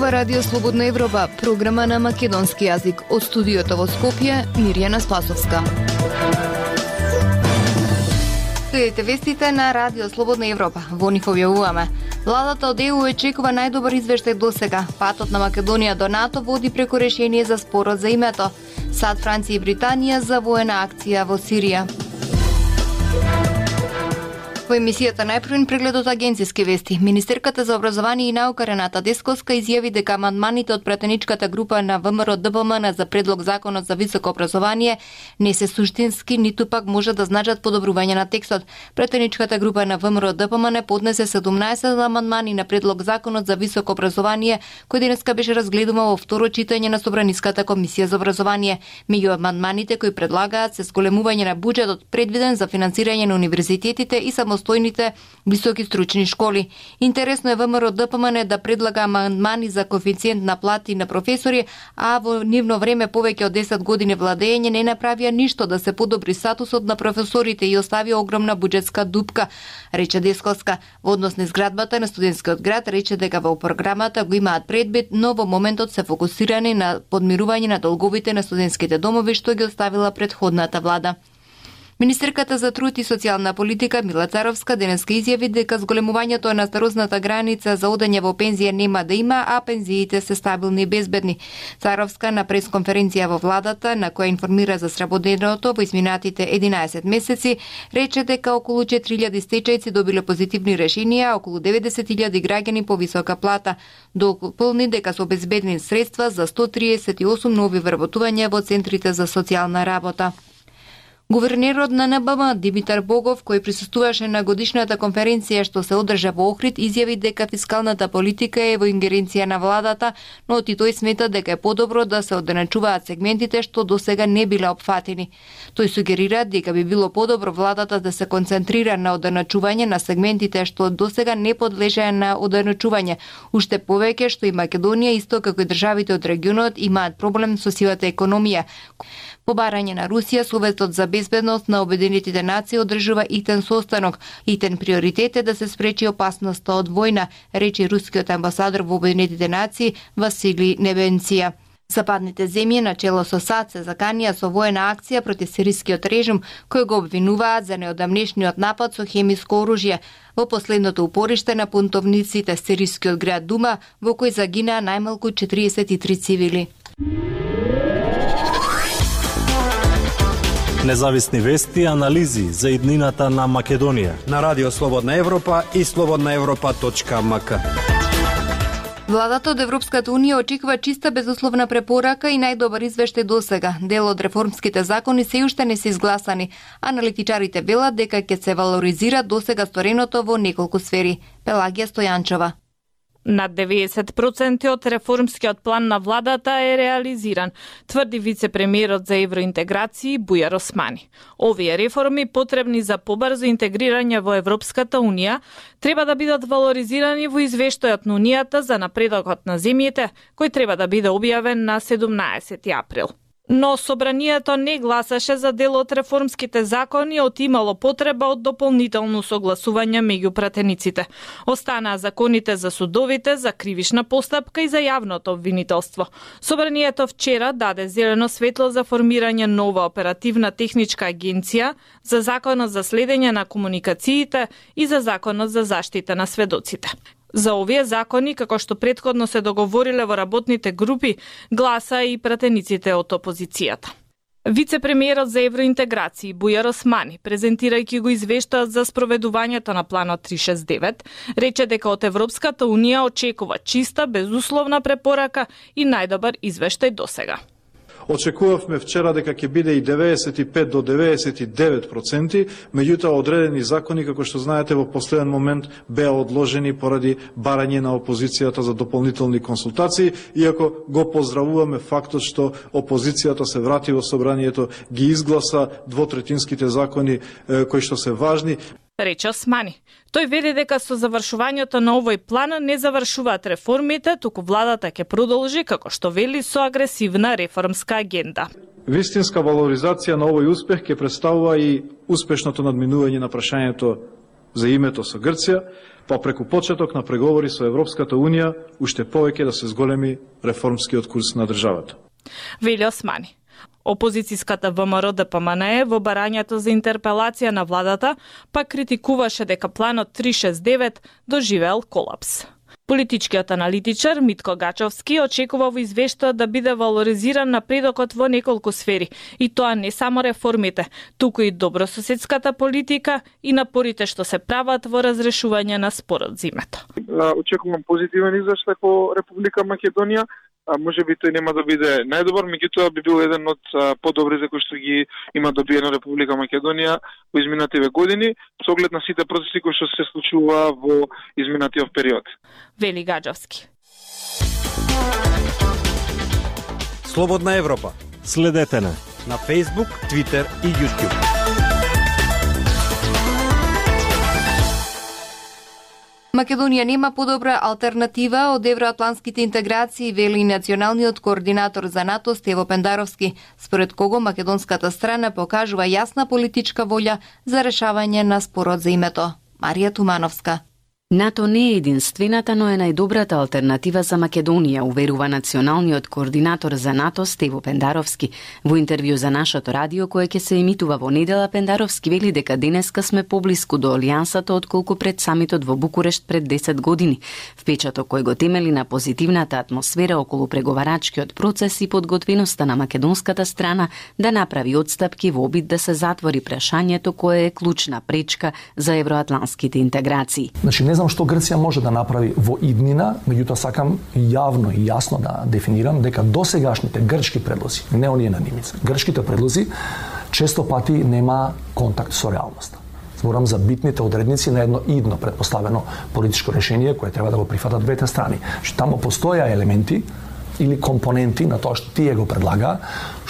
ова Радио Слободна Европа, програма на македонски јазик. Од студиото во Скопје, Мирјана Спасовска. Следете вестите на Радио Слободна Европа. Во нив објавуваме. Владата од ЕУ очекува најдобар извештај досега. Патот на Македонија до НАТО води преку решение за спорот за името. САД, Франција и Британија за воена акција во Сирија. Во емисијата најпрвен преглед од агенциски вести. Министерката за образование и наука Рената Десковска изјави дека амандманите од пратеничката група на ВМРО-ДПМН за предлог законот за високо образование не се суштински, ниту пак може да значат подобрување на текстот. Пратеничката група на ВМРО-ДПМН поднесе 17 амандмани на предлог законот за високо образование, кој денеска беше разгледуван во второ читање на Собраниската комисија за образование. Меѓу амандманите кои предлагаат се зголемување на буџетот предвиден за финансирање на универзитетите и самостојните високи стручни школи. Интересно е ВМРО-ДПМН да предлага амандмани за коефициент на плати на професори, а во нивно време повеќе од 10 години владење не направија ништо да се подобри статусот на професорите и оставија огромна буџетска дупка, рече Десковска. Во однос на изградбата на студентскиот град рече дека во програмата го имаат предвид, но во моментот се фокусирани на подмирување на долговите на студентските домови што ги оставила претходната влада. Министерката за труд и социјална политика Мила Царовска денеска изјави дека зголемувањето на старосната граница за одење во пензија нема да има, а пензиите се стабилни и безбедни. Царовска на пресконференција во владата, на која информира за сработеното во изминатите 11 месеци, рече дека околу 4000 стечајци добиле позитивни решенија, околу 90.000 граѓани по висока плата. Дополни дека се обезбедени средства за 138 нови вработувања во центрите за социјална работа. Гувернерот на НБМ Димитар Богов, кој присуствуваше на годишната конференција што се одржа во Охрид, изјави дека фискалната политика е во ингеренција на владата, но и тој смета дека е подобро да се оденачуваат сегментите што досега не биле опфатени. Тој сугерира дека би било подобро владата да се концентрира на оденачување на сегментите што досега не подлежеа на оденачување, уште повеќе што и Македонија, исто како и државите од регионот, имаат проблем со сивата економија. По барање на Русија, Советот за безбедност на Обединетите нации одржува итен состанок. Итен приоритет е да се спречи опасноста од војна, рече рускиот амбасадор во Обединетите нации Васили Небенција. Западните земји на чело со САД се заканија со воена акција против сирискиот режим, кој го обвинуваат за неодамнешниот напад со хемиско оружје во последното упориште на пунтовниците сирискиот град Дума, во кој загинаа најмалку 43 цивили. Независни вести и анализи за иднината на Македонија на Радио Слободна Европа и slobodnaevropa.mk. Владата од Европската унија очекува чиста безусловна препорака и најдобар извештај досега. Дел од реформските закони се уште не се изгласани. Аналитичарите велат дека ќе се валоризира досега стореното во неколку сфери. Пелагија Стојанчова. Над 90% од реформскиот план на владата е реализиран, тврди вице-премиерот за евроинтеграција Бујар Османи. Овие реформи, потребни за побрзо интегрирање во Европската унија, треба да бидат валоризирани во извештајот на Унијата за напредокот на земјите, кој треба да биде објавен на 17 април. Но собранието не гласаше за дел од реформските закони, имало потреба од дополнително согласување меѓу пратениците. Останаа законите за судовите, за кривишна постапка и за јавното обвинителство. Собранието вчера даде зелено светло за формирање нова оперативна техничка агенција, за законот за следење на комуникациите и за законот за заштита на сведоците. За овие закони, како што претходно се договориле во работните групи, гласа и пратениците од опозицијата. Вице-премиерот за евроинтеграција Бујар Османи, презентирајќи го извештајот за спроведувањето на планот 369, рече дека од Европската унија очекува чиста, безусловна препорака и најдобар извештај досега. Очекувавме вчера дека ќе биде и 95 до 99%, меѓутоа одредени закони, како што знаете, во последен момент беа одложени поради барање на опозицијата за дополнителни консултации, иако го поздравуваме фактот што опозицијата се врати во собранието, ги изгласа двотретинските закони кои што се важни. Рече Османи. Тој вели дека со завршувањето на овој план не завршуваат реформите, туку владата ќе продолжи, како што вели, со агресивна реформска агенда. Вистинска валоризација на овој успех ќе представува и успешното надминување на прашањето за името со Грција, па преку почеток на преговори со Европската Унија уште повеќе да се зголеми реформскиот курс на државата. Вели Османи. Опозицијската ВМРО ДПМНЕ во барањето за интерпелација на владата пак критикуваше дека планот 369 доживеел колапс. Политичкиот аналитичар Митко Гачовски очекува во извештајот да биде валоризиран напредокот во неколку сфери, и тоа не само реформите, туку и добрососедската политика и напорите што се прават во разрешување на спорот за името. Очекувам позитивен извештај по Република Македонија. Може би тој нема да биде најдобар, меѓутоа би бил еден од подобри за кои што ги има добиено Република Македонија во изминативе години, со оглед на сите процеси кои што се случува во изминатиот период. Вели Гаджовски. Слободна Европа. Следете на Facebook, Twitter и YouTube. Македонија нема подобра алтернатива од евроатлантските интеграции, вели националниот координатор за НАТО Стево Пендаровски, според кого македонската страна покажува јасна политичка волја за решавање на спорот за името. Марија Тумановска. НАТО не е единствената, но е најдобрата алтернатива за Македонија, уверува националниот координатор за НАТО Стево Пендаровски. Во интервју за нашето радио, кое ќе се емитува во недела, Пендаровски вели дека денеска сме поблиску до алијансата отколку пред самитот во Букурешт пред 10 години. Впечаток кој го темели на позитивната атмосфера околу преговарачкиот процес и подготвеноста на македонската страна да направи отстапки во обид да се затвори прашањето кое е клучна пречка за евроатлантските интеграции. Не знам што Грција може да направи во иднина, меѓутоа сакам јавно и јасно да дефинирам дека досегашните грчки предлози, не оние на Нимица, грчките предлози често пати нема контакт со реалноста. Зборам за битните одредници на едно идно предпоставено политичко решение кое треба да го прифатат двете страни. Што тамо постоја елементи или компоненти на тоа што тие го предлага,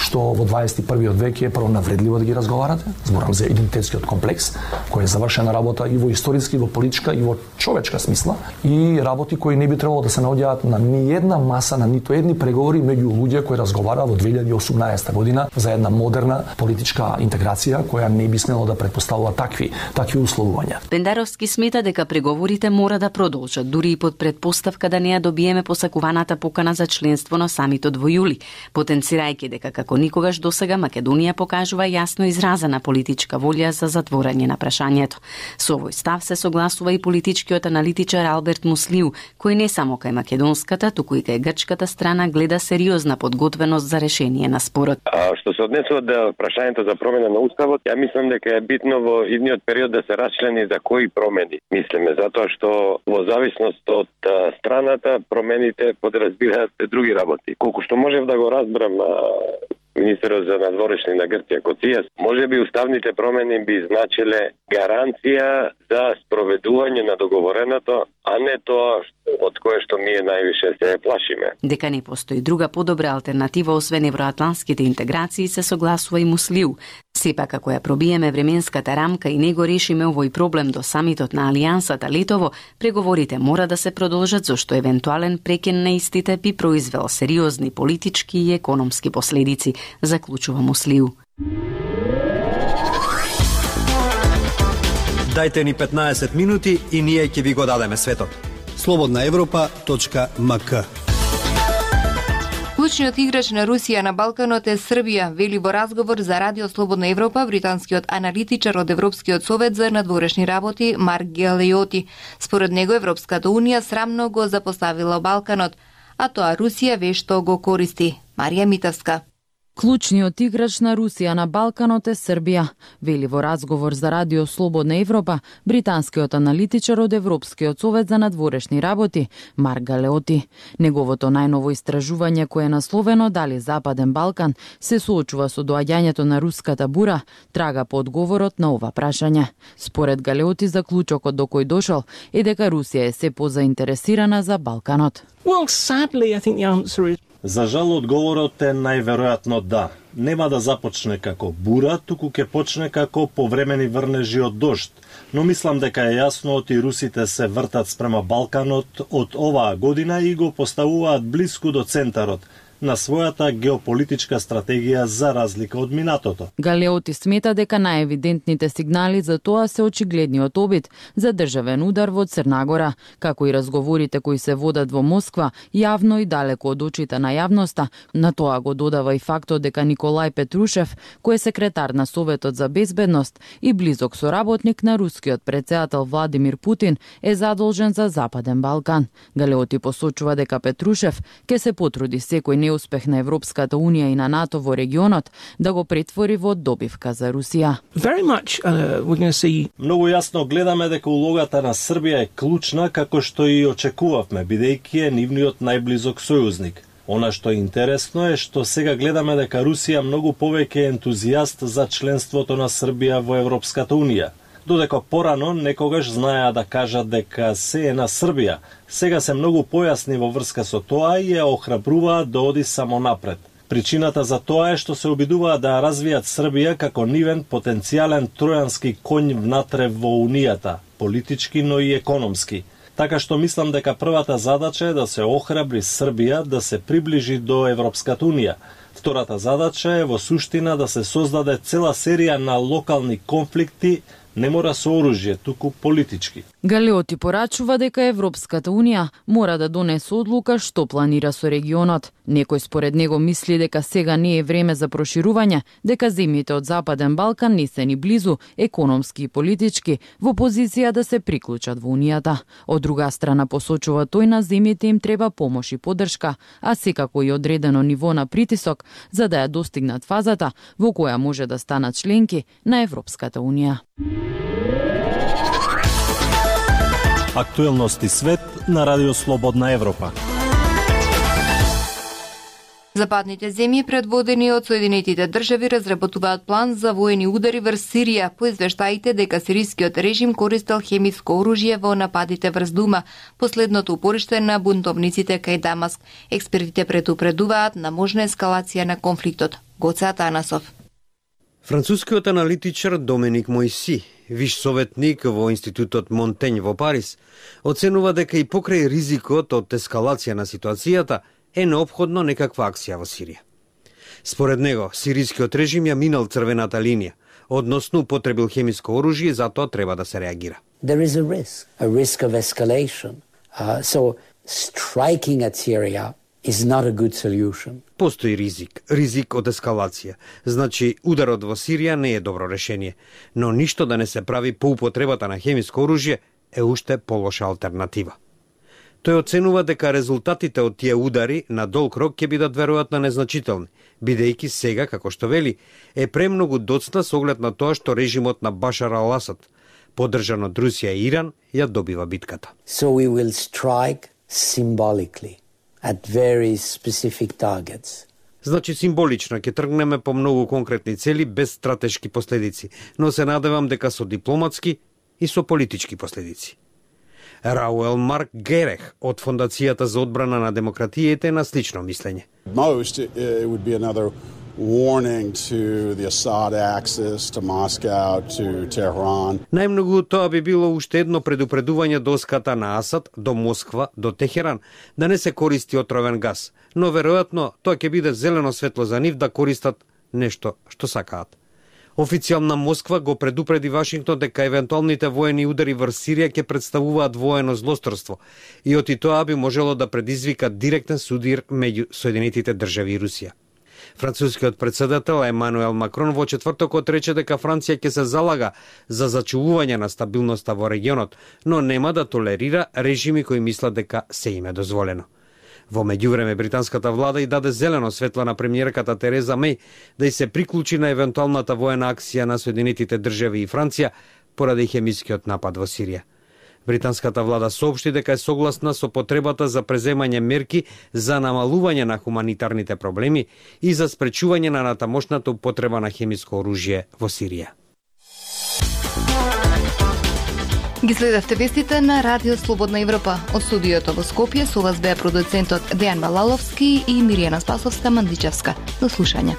што во 21. век е прво навредливо да ги разговарате. Зборам за идентитетскиот комплекс, кој е завршена работа и во историски, и во политичка, и во човечка смисла, и работи кои не би требало да се наоѓаат на ни една маса, на ниту едни преговори меѓу луѓе кои разговара во 2018 година за една модерна политичка интеграција која не би смело да предпоставува такви условувања. Пендаровски смета дека преговорите мора да продолжат, дури и под предпоставка да не ја добиеме посакуваната покана за членство на самитот во јули, потенцирајќи дека како никогаш досега Македонија покажува јасно изразена политичка волја за затворање на прашањето. Со овој став се согласува и политичкиот аналитичар Алберт Муслиу, кој не само кај македонската, туку и кај грчката страна гледа сериозна подготвеност за решение на спорот. Што се однесува до прашањето за промена на уставот, ја мислам дека е битно во идниот период да се расчлени за кои промени мислиме, затоа што во зависност од страната промените подразбираат други работи. Колку што можев да го разберам министерот за надворешни на Грција Коцијас, можеби уставните промени би значиле гаранција за спроведување на договореното, а не тоа од кое што ние највише се плашиме. Дека не постои друга подобра алтернатива освен евроатлантските интеграции, се согласува и Муслиу. Сепак, ако ја пробиеме временската рамка и не го решиме овој проблем до самитот на Алијансата летово, преговорите мора да се продолжат, зашто евентуален прекен на истите би произвел сериозни политички и економски последици, заклучува Муслиу. Дајте ни 15 минути и ние ќе ви го дадеме светот. slobodnaevropa.mk. Клучниот играч на Русија на Балканот е Србија, вели во разговор за Радио Слободна Европа британскиот аналитичар од Европскиот совет за надворешни работи Марк Галеоти. Според него Европската унија срамно го запоставила Балканот, а тоа Русија вешто го користи. Марија Митовска. Клучниот играч на Русија на Балканот е Србија, вели во разговор за Радио Слободна Европа британскиот аналитичар од Европскиот совет за надворешни работи Марк Галеоти. Неговото најново истражување кое е насловено дали Западен Балкан се соочува со доаѓањето на руската бура, трага по одговорот на ова прашање. Според Галеоти, заклучокот до кој дошол е дека Русија е се позаинтересирана за Балканот. Well, sadly, I think the answer is... За жал, одговорот е најверојатно да. Нема да започне како бура, туку ќе почне како повремени врнежи од дожд. Но мислам дека е јасно и русите се вртат спрема Балканот од оваа година и го поставуваат блиску до центарот. на својата геополитичка стратегија за разлика од минатото. Галеоти смета дека најевидентните сигнали за тоа се очигледниот обид за државен удар во Црна Гора, како и разговорите кои се водат во Москва, јавно и далеко од очите на јавноста. На тоа го додава и фактот дека Николај Петрушев, кој е секретар на Советот за безбедност и близок соработник на рускиот претседател Владимир Путин, е задолжен за Западен Балкан. Галеоти посочува дека Петрушев ќе се потруди секој неуспех на Европската Унија и на НАТО во регионот да го претвори во добивка за Русија. Многу јасно гледаме дека улогата на Србија е клучна, како што и очекувавме, бидејќи е нивниот најблизок сојузник. Она што е интересно е што сега гледаме дека Русија многу повеќе е ентузијаст за членството на Србија во Европската Унија. Додека порано некогаш знаеа да кажат дека се е на Србија, сега се многу појасни во врска со тоа и ја охрабруваат да оди само напред. Причината за тоа е што се обидуваат да развијат Србија како нивен потенцијален тројански коњ внатре во Унијата, политички, но и економски. Така што мислам дека првата задача е да се охрабри Србија да се приближи до Европската Унија. Втората задача е во суштина да се создаде цела серија на локални конфликти, не мора со оружје, туку политички. Галеоти порачува дека Европската Унија мора да донесе одлука што планира со регионот. Некој според него мисли дека сега не е време за проширување, дека земјите од Западен Балкан не се ни близу, економски и политички, во позиција да се приклучат во Унијата. Од друга страна посочува тој на земјите им треба помош и поддршка, а секако и одредено ниво на притисок за да ја достигнат фазата во која може да станат членки на Европската Унија. Актуелности свет на Радио Слободна Европа. Западните земји, предводени од Соединетите држави, разработуваат план за воени удари врз Сирија, по извештаите дека сирискиот режим користел хемиско оружје во нападите врз Дума, последното упориште на бунтовниците кај Дамаск. Експертите предупредуваат на можна ескалација на конфликтот. Гоце Атанасов. Францускиот аналитичар Доменик Мојси, виш советник во Институтот Монтењ во Париз, оценува дека и покрај ризикот од ескалација на ситуацијата е неопходно некаква акција во Сирија. Според него, сирискиот режим ја минал црвената линија, односно употребил хемиско оружје, затоа треба да се реагира. There is a risk of escalation. So striking at Syria is not a good solution. Постои ризик од ескалација. Значи, ударот во Сирија не е добро решение, но ништо да не се прави по употребата на хемиско оружје е уште полоша алтернатива. Тој оценува дека резултатите од тие удари на долг рок ќе бидат веројатно незначителни, бидејќи сега, како што вели, е премногу доцна со оглед на тоа што режимот на Башар ал-Асад, поддржан од Русија и Иран, ја добива битката. So we will strike symbolically at very specific targets. Значи символично ќе тргнеме по многу конкретни цели без стратешки последици, но се надевам дека со дипломатски и со политички последици. Рауел Марк Герех од Фондацијата за одбрана на демократијата е на слично мислење. Most it would be another warning to the Assad axis, to Moscow, to Tehran. Најмногу тоа би било уште едно предупредување до оската на Асад, до Москва, до Техеран, да не се користи отровен газ, но веројатно тоа ќе биде зелено светло за нив да користат нешто што сакаат. Официјална Москва го предупреди Вашингтон дека евентуалните воени удари врз Сирија ќе представуваат воено злосторство и оти тоа би можело да предизвика директен судир меѓу Соединетите држави и Русија. Францускиот претседател Емануел Макрон во четвртокот рече дека Франција ќе се залага за зачувување на стабилноста во регионот, но нема да толерира режими кои мислат дека се им е дозволено. Во меѓувреме, британската влада и даде зелено светло на премиерката Тереза Меј да и се приклучи на евентуалната воена акција на Соединетите држави и Франција поради хемискиот напад во Сирија. Британската влада соопшти дека е согласна со потребата за преземање мерки за намалување на хуманитарните проблеми и за спречување на натамошната употреба на хемиско оружје во Сирија. Ги следевте вестите на Радио Слободна Европа. Од студиото во Скопје со вас беа продуцентот Дејан Балаловски и Миријана Спасовска-Мандичевска. До слушање.